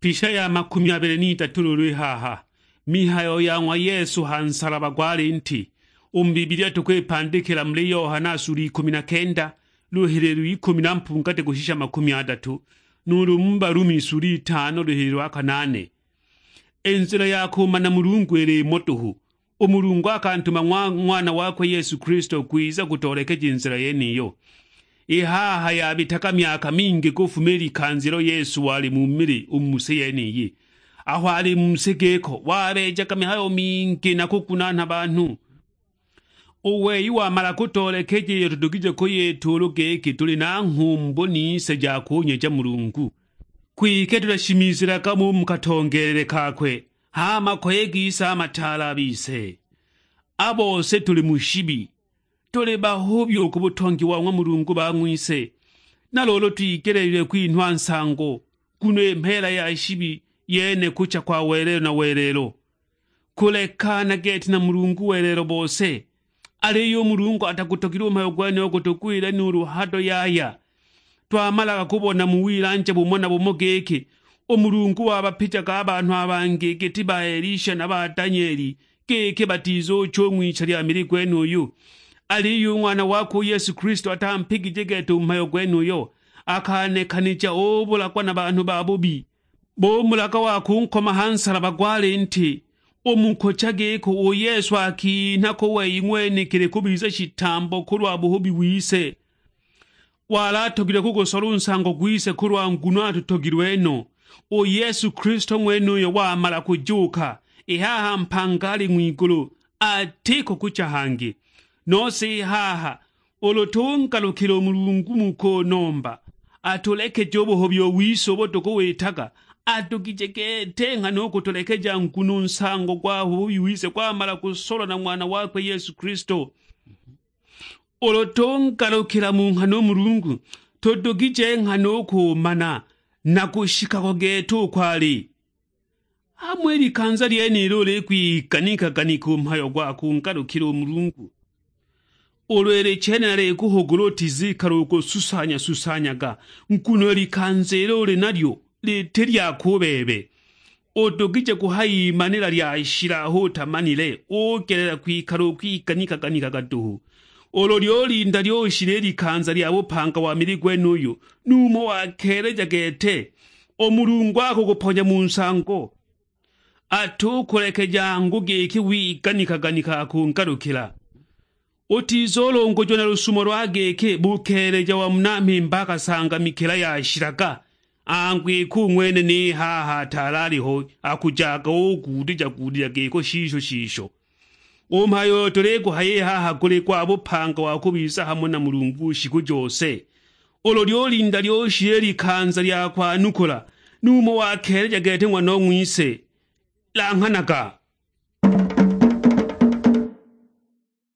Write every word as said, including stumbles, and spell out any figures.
Pisha ya makumi abili n'idatu luulu i haha, mihayo ya ng'wa Yesu ha nsalaba gwa linti. U mu Bibilia tukwipandikila muli Yohana sula ikumi na kenda, luhililo ikumi na mpungati kushisha makumi adatu, nuulu mu Balumi sula itano luhililo a kanaane. I nzila ya kumana Mulungu ili imo duhu. U Mulungu akantuma ng'wa-, Ng'wana wakwe Yesu Kristo kwiza kutoolekeja i nzila yeniyo. I haha yabitaga myaka mingi kufuma i likanza ilo Yesu wali mu mili u mu si yeniyi. Aho ali mu si giko, wabeejaga mihayo mingi na kugunaana banhu. U wei wamala kutoolekeja iyo tudugije kuyita ulu giki tuli na nghumbu nise ja kunyeja Mulungu. Kwike tutashimizilaga mo u mu katongeelele kakwe, h'a makoye gise a mataale a bise. A bose tuli mu shibi, tuli bahubi u ku butongi wa ng'wa Mulungu bang'wise. Na luulu twigeleelilwe kwinhwa nsango, nguno i mheela ya shibi yene kucha kwa welelo na welelo. Kulekana gete na Mulungu welelo bose. Aliyo u Mulungu atagutogilwe u mhayo gwenuyo gutugwile nuulu hado yaya. Twamalaga kubona mu wilanja bumo na bumo giki, u Mulungu wabapijaga a banhu a bangi giti ba Elisha na ba Danieli, giki batizucha u ng'wicha lya mili gwenuyu. Aliyo u Ng'wana wakwe u Yesu Kristo atampigije gete u mhayo gwenuyo, akanekanija ubulagwa na banhu babubi. Bumulaga wa kunkoma ha nsalaba gwa linti, u mu kucha giko u Yesu akinha ku wei ng'wenekili kubiza shitambo kulwa buhubi wise. Wali atogilwe kugusola u nsango gwise kulwa nguno atutogilwe no. U Yesu Kristo ng'wenuyo wamala kujuuka, i haha mpanga ali ng'wigulu, atiko kucha hangi. Nose i haha, ulu tungalukila u Mulungu mu kunomba, atulekeje u buhubi wise ubo tukuwitaga, adugije gete nghana u kutulekeja, nguno u nsango gwa buhubi wise gwamala kusolwa na Ng'wana wakwe Yesu Kristo. Ulu tungalukila mu nghana u Mulungu, tudugije nghana u kumana na kushika ko gete uko ali. Hamo i likanza lyenilo ulikwiganika-ganika u mhayo gwa kungalukila u Mulungu. Ulu ili chene nalikuhugula utizikala ukususanya-susanyaga, nguno i likanza ilo uli nalyo liti lyako u bebe. Udugije kuhayimanila lyashila aho utamanile, ugelela kwikala ukwiganika-ganikaga duhu. Ulu lyulinda lyushila i likanza lya bupanga wa mili gwenuyu, numho wakeeleja gete, u Mulungu akukuponya mu nsango. Atukulekeja angu giki wiganika-ganika akungalukila. Utizulungujiwa na lusumo lwa giki bukeeleja wa muna mhimba akasangamikila yashilaga, angu iki u ng'wene ni haha ataali aliho, akujaga uguudija-guudija giko shisho shisho. U mhayo uyo tuliguhaya i haha guli gwa bupanga wa kubiza hamo na Mulungu shiku jose. Ulu lyulinda lyushila i likanza lya kwanukula, numho wakeeleja gete ng'wanong'wise. Langhanaga,